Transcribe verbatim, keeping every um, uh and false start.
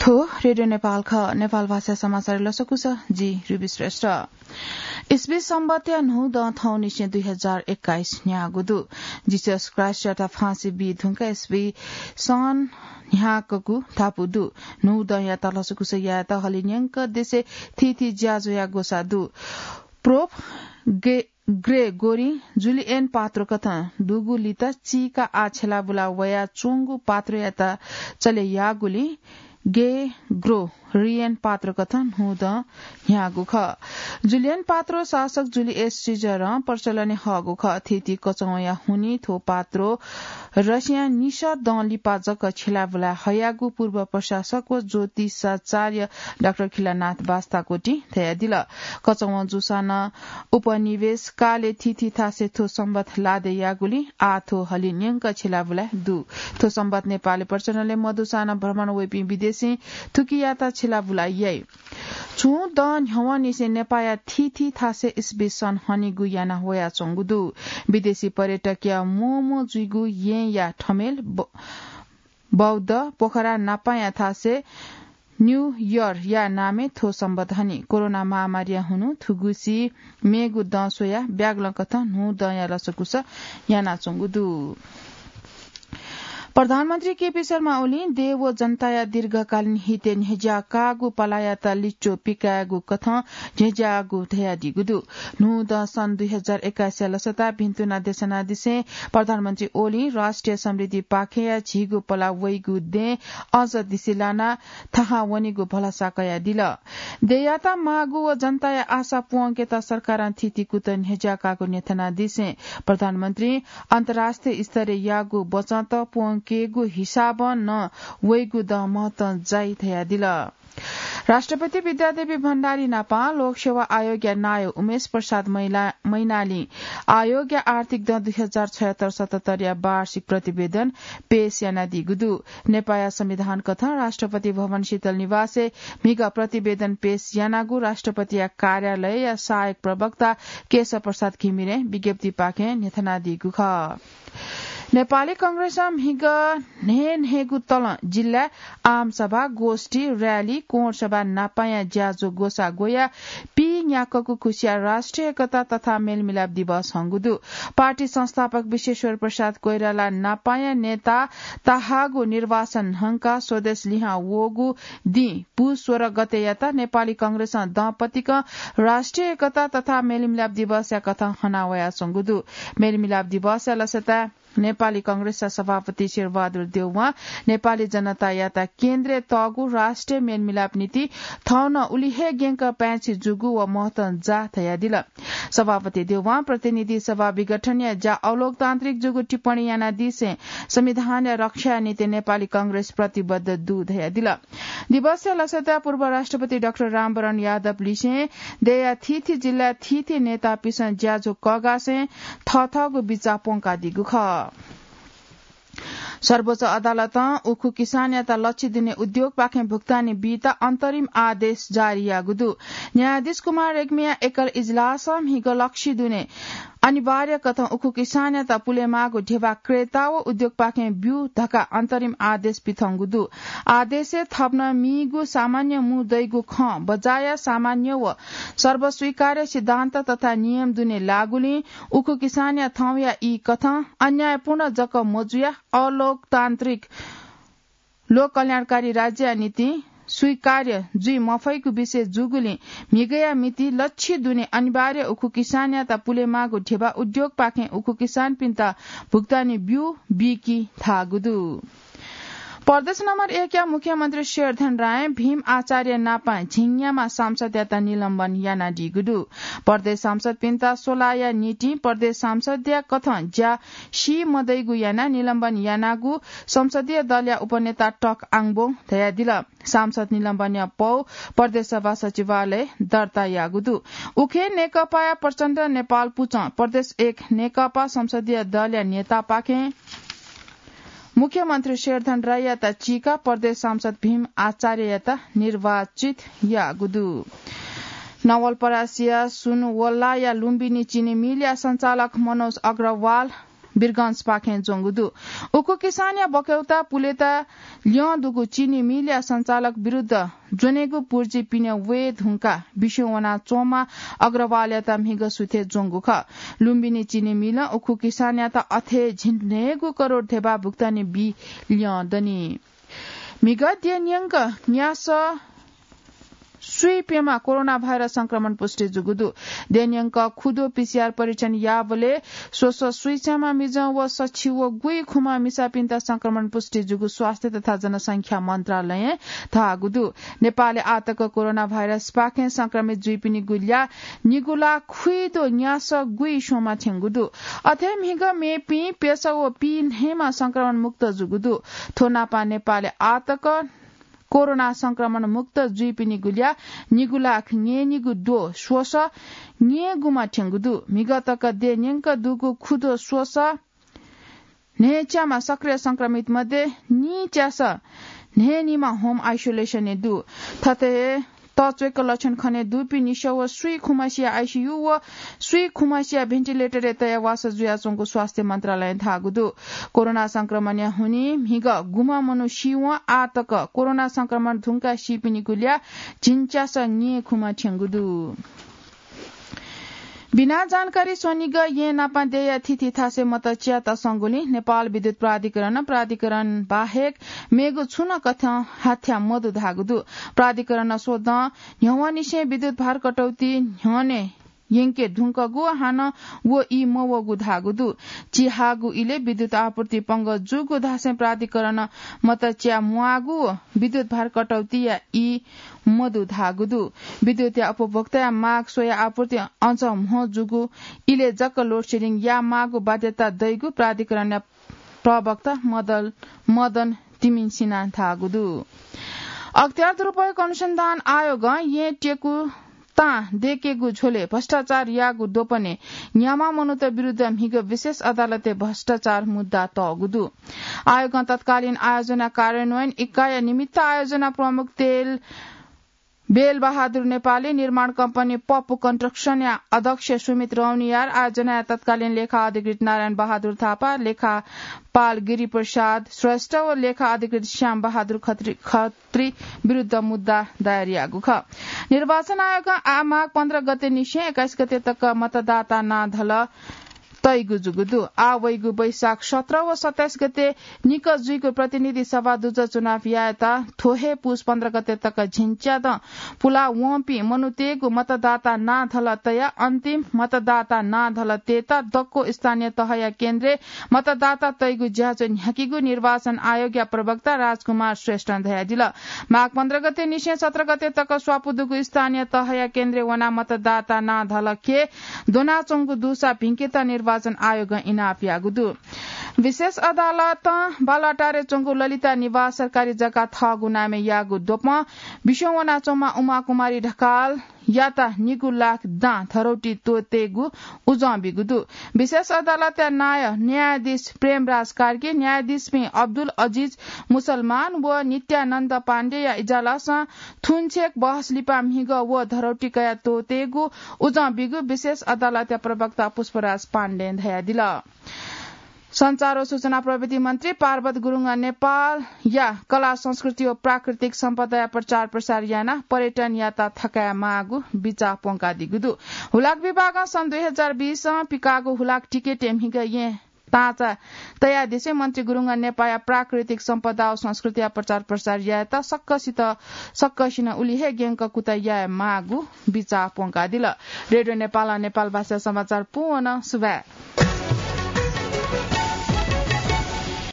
थ्व रेडियो नेपाल खः। नेपाल भाषा समाचार लसकुस, जि रुबी श्रेष्ठ। इस्वी सम्बतया न्हू दँ थौंनिसें दुई हजार एक्काइस न्ह्याःगु दु। जिसस क्राइस्टयात फाँसी बी धुंकाः इस्वी सन न्ह्याकगु धापू दु। न्हू दँयात लसकुस यायेत हलिं न्यंक देशय् थीथी ज्याझ्वःया ग्वसाः दु। प्रोप गे-, ग्रेगोरी जुलियन पात्रो कथं दुगु लित चीका आ छेलाबुला वया च्वंगु पात्रोयात चले याःगुलिं गेग्रोरियन पात्रो कथं न्हू दँ न्ह्याःगु खः। जुलियन पात्रो शासक जुलियस सिजरं प्रचलनय् हःगु खः। थीथी कचंवया हुनिं थ्व पात्रो रसियां निसः दँ लिपा जक छेलाबुला हयागु पूर्व प्रशासक व ज्योतिषाचार्य डाक्टर खिलानाथ बास्ताकोटीं धयादिल। कचंवं जूसां नं उपनिवेश कालय् थीथी थासय् थ्व सम्बत लादे याःगुलिं आः थ्व हलिं न्यंक छेलाबुला दु। थ्व सम्बत नेपालय् प्रचलनय् मदुसां नं भ्रमण वइपिं विदेशीं थुकियात छेलाबुला याइ। छुं दँ न्ह्यवंनिसें नेपाःया थीथी थासय् इस्वी सन हनीगु याना वयाच्वंगु दु। विदेशी पर्यटकया म्वःम्वः जुइगु येँया ठमेल ब-, बौद्ध पोखरा नापाया थासय् न्यू इयरया नामय् थ्व सम्बत हनी। कोरोना महामारीया हुनिं थुगुसी मेगु दँ स्वयाः ब्यागलं कथं न्हू दँया लसकुस यानाच्वंगु दु। प्रधानमन्त्री केपी शर्मा ओलीं देय् व जनताया दीर्घकालीन हितय् न्ह्यज्याकाःगु पलायात लिच्वः पिकायेगु कथं न्ह्यज्याःगु धयादीगु दु। न्हू दँ सन् दुई हजार एक्काइसया लसताय् भिन्तुना देछानादिसें प्रधानमन्त्री ओलीं राष्ट्रिय समृद्धिपाखेया झीगु पला वइगु देय् अझ दिसे लानाः थाहां वनेगु भलसा कयादिल। देय्‌यात माःगु व जनताया आशा प्वंकेत सरकारं थीथी कुतः न्ह्यज्याकाःगु न्ह्यथनादिसें प्रधानमन्त्रीं अन्तर्राष्ट्रिय स्तरय् याःगु बचत प्वंकेगु हिसाबं नं वइगु दँ महत्तं जाइ धयादिल। राष्ट्रपति विद्यादेवी भण्डारी नापं लोकसेवा आयोगया नायः उमेश प्रसाद मैला-, मैनालीं आयोगया आर्थिक दँ दुई हजार छयत्तर सतहत्तरया वार्षिक प्रतिवेदन पेश यानादीगु दु। नेपाःया संविधान कथं राष्ट्रपति भवन शीतल निवासय् म्हिगः प्रतिवेदन पेश यानागु राष्ट्रपतिया कार्यालयया सहायक प्रवक्ता केशव प्रसाद घिमिरें विज्ञप्तिपाखें न्ह्यथनादीगु खः। नेपाली कांग्रेसं म्हिगः न्हय्‌न्हय्‌गू तलं जिल्लाय् आमसभा, गोष्ठी, र्‍याली, कोणसभा नापाया ज्याझ्वः ग्वसाः ग्वयाः पीन्याक्वःगु खुसिया राष्ट्रिय एकता तथा मेलमिलाप दिवस हंगु दु। पार्टी संस्थापक विश्वेश्वर प्रसाद कोइराला नापाया नेता तःहाःगु निर्वासन हंकाः स्वदेश लिहां वःगु दिं पु सोह्र गतेयात नेपाली कांग्रेसं दँपतिकं राष्ट्रिय एकता तथा मेलमिलाप दिवसया कथं हनावयाच्वंगु दु। मेलमिलाप दिवसया लसताय् नेपाली कांग्रेसया सभापति शेरबहादुर देउवां नेपाली जनतायात केन्द्रय् तःगु राष्ट्रिय मेलमिलाप नीति थौं नं उलि हे ग्यंक पाय्‌छि जूगु व महत्तं जाः धयादिल। सभापति देउवां प्रतिनिधि सभा विघटनया ज्या अलोकतान्त्रिक जूगु टिप्पणी यानादिसें संविधानया रक्षाया निंतिं नेपाली कांग्रेस प्रतिबद्ध दु धयादिल। दिवसया लसताय् पूर्व राष्ट्रपति डाक्टर रामवरण यादव लिसें देय्‌या थीथी जिल्लाय् थीथी नेतापिसं ज्याझ्वः कःघासें थःथःगु बिचाः प्वंकादीगु खः। सर्वोच्च अदालतं उखु किसानयात लच्छि दुने उद्योगपाखें भुक्तानी बीत अन्तरिम आदेश जारी याःगु दु। न्यायाधीश कुमार रेग्मीया एकल इजलासं म्हिगः लच्छि दुने अनिवार्य कथं उखु किसानयात पुलेमाःगु ध्यबा क्रेता व उद्योगपाखें ब्यु धकाः अन्तरिम आदेश पिथंगु दु। आदेशय् थप नं मीगु सामान्य मू दइगु खँ बजाय सामान्य व सर्वस्वीकार्य सिद्धान्त तथा नियम दुने लाःगुलिं उखु किसानया थौंया ई कथं अन्यायपूर्ण जक मजुयाः अलोकतान्त्रिक लोक कल्याणकारी राज्यया निंतिं स्वीकार्य जुइ मफइगु विषय जूगुलिं म्हिगःया मिति लच्छि दुने अनिवार्य उखु किसानयात पुलेमाःगु ध्यबा उद्योगपाखें उखु किसानपिन्त भुक्तानी ब्यु बीकी धाःगु दु। प्रदेश नम्बर एकया मुख्यमन्त्री शेरधन रायं भीम आचार्य नापं झिंन्याम्ह सांसदयात निलम्बन यानादीगु दु। प्रदेश सांसदपिन्त स्वलाया निंतिं प्रदेश सांसदया कथं ज्या सी मदइगु यानाः निलम्बन यानागु संसदीय दलया उपनेता टक आङबों धयादिल। सांसद निलम्बनया पौ प्रदेश सभा सचिवालयय् दर्ता याःगु दु। उखे नेकपाया प्रचण्ड नेपाल पुचः प्रदेश एक नेकपा संसदीय दलया नेतापाखें मुख्यमन्त्री शेरधन राईयात चीकाः प्रदेश सांसद भीम आचार्ययात निर्वाचित याःगु दु। नवलपरासीया सुनवल्लाया लुम्बिनी चिनी मिलया सञ्चालक मनोज अग्रवाल वीरगंजपाखें ज्वंगु दु। उखु किसानया बकौता पुलेता ल्यं दुगु चिनी मिलया सञ्चालक विरुद्ध ज्वनेगु पुर्जी पिने वये धुंकाः बिस्युं वनाच्वंम्ह अग्रवालयात म्हिगः सुथय् ज्वंगु खः। लुम्बिनी चिनी मिलं उखु किसानयात अथे झिंन्हय्गू करोड धेबा भुक्तानी बी ल्यं दनि। म्हिगः देय् न्यंक न्यासः स्वीप्यम्ह कोरोना भाइरस संक्रमण पुष्टि जूगु दु। देय् न्यंक खुदो पीसीआर परीक्षण याःबलय् स्वसः स्वीच्याम्ह मिजं व सछि व गुइखुम्ह मिसापिन्त संक्रमण पुष्टि जूगु स्वास्थ्य तथा जनसंख्या मन्त्रालयं धाःगु दु। नेपालय् आःतक कोरोना भाइरसपाखें संक्रमित जुइपिनिगु ल्याः निगू लाख खुइदो न्यासः गुइस्वम्ह थ्यंगु दु। अथे म्हिगः मेपिं प्यसः व पीन्हय्म्ह संक्रमण मुक्त जूगु दु। थ्व नापं नेपालय् आःतक कोरोना संक्रमण मुक्त जुइपिनिगु ल्याः निगू लाख न्यय्निगू द्वः स्वसः न्यय्गुम्ह थ्यंगु दु। म्हिगः तक देय् न्यंक दुगु खुदो स्वसः न्हय्च्याम्ह सक्रिय संक्रमित मध्ये नीच्यासः न्हय्निम्ह home isolation-य् दु। थथे हे तच्वय्क लक्षण खने दुपिं निसः व स्वीखुम्हसिया आइसियु व स्वीखुम्हसिया भेन्टिलेटरय् तयाः वासः जुयाच्वंगु स्वास्थ्य मन्त्रालयं धाःगु दु। कोरोना संक्रमणया हुनिं म्हिगः गुम्ह मनू सीवं आःतक कोरोना संक्रमण धुंकाः सीपिनिगु ल्याः झिंच्यासः न्यय्खुम्ह थ्यंगु दु। बिना जानकारी स्वनिगः येँ नापं देय्या थीथी थासय् मत च्यायेत संगुलिं नेपाल विद्युत प्राधिकरणं प्राधिकरण बाहेक मेगु छुं नं कथं हाथ्या मदु धाःगु दु। प्राधिकरणं स्वदँ न्ह्यवंनिसें विद्युत भार कटौती न्ह्यःने यंके धुंकूगु हानं व ई मवःगु धाःगु दु। चिहाःगु इलय् विद्युत आपूर्ति पंगः जूगु धासें प्राधिकरणं मत च्याये म्वाःगु व विद्युत भार कटौतीया ई मदु धाःगु दु। विद्युतया उपभोक्ताया माग स्वयाः आपूर्ति अझ म्हो जूगु इलय् जक load shedding याये माःगु बाध्यता दइगु प्राधिकरणया प्रवक्ता मदल-, मदन तिमिसिनां धाःगु दु। अख्तियार दुरुपयोग अनुसन्धान आयोगं येँ त्यकु तां दय्केगु झ्वलय् भ्रष्टाचार याःगु द्वपनय् न्याम्ह मनूत विरुद्ध म्हिगः विशेष अदालतय् भ्रष्टाचार मुद्दा तःगु दु। आयोगं तत्कालीन आयोजना कार्यान्वयन इकाइया निमित्त आयोजना प्रमुख तेल बेल बहादुर नेपाली, निर्माण कम्पनी पप्पु कन्स्ट्रक्सनया अध्यक्ष सुमित रौनियार, आयोजनाया तत्कालीन लेखा अधिकृत नारायण बहादुर थापा, लेखापाल गिरिप्रसाद श्रेष्ठ व लेखा अधिकृत श्याम बहादुर खत्री, खत्री विरुद्ध मुद्दा दायर याःगु खः। निर्वाचन आयोगं आ माघ पन्ध्र गते निसें एक्काइस गते तक मतदाता नां धल तइगु जूगु दु। आः वइगु वैशाख सत्र व सत्ताइस गते निकः जुइगु प्रतिनिधि सभा दुजः चुनाव यायेत थ्व हे पुस पन्ध्र गते तक झिंच्यादँ पुला वंपिं मनूतय्गु मतदाता नां धल तयाः अन्तिम मतदाता नां धल तयेत दक्व स्थानीय तहया केन्द्रय् मतदाता तइगु ज्याझ्वः न्ह्याकीगु निर्वाचन आयोगया प्रवक्ता राजकुमार श्रेष्ठं धयादिल। माघ पन्ध्र गते निसें सत्र गते तक स्वापू दुगु स्थानीय तहया केन्द्रय् वनाः मतदाता नां धल के द्वनाच्वंगु दुसा भिंकेत निर्वाचन आयोगं इनाप याःगु दु। विशेष अदालतं बालुवाटारय् च्वंगु ललिता निवास सरकारी जग्गा थःगु नामय् याःगु द्वपं बिस्युं वनाच्वंम्ह उमा कुमारी ढकालयात निगू लाख दां धरौटी त्वःतेगु उजं बीगु दु। विशेष अदालतया नायः न्यायाधीश प्रेमराज कार्की, न्यायाधीशपिं अब्दुल अजिज मुसलमान व नित्यानन्द पाण्डेया इजलासं थुन्छेँय् बहस लिपा म्हिगः व धरौटी कयाः त्वःतेगु उजं बीगु विशेष अदालतया प्रवक्ता पुष्पराज पाण्डें धयादिल। सञ्चार व सूचना प्रविधि मन्त्री पार्वत गुरुङं नेपालया कला, संस्कृति व प्राकृतिक सम्पदाया प्रचार प्रसार यानाः पर्यटन यात्रा थकाये माःगु बिचाः प्वंकादीगु दु। हुलाक विभागं सन् दुई हजार बीसं पिकाःगु हुलाक टिकटय् म्हिगः येँ ताँचा तयादिसें मन्त्री गुरुङं नेपाःया प्राकृतिक सम्पदा व संस्कृतिया प्रचार प्रसार यायेत सक्कसित, सक्कसिनं उलि हे ग्यंक कुतः याये माःगु बिचाः प्वंकादिल। रेडियो नेपालं नेपाल भाषा समाचार पूवन सुभाय्।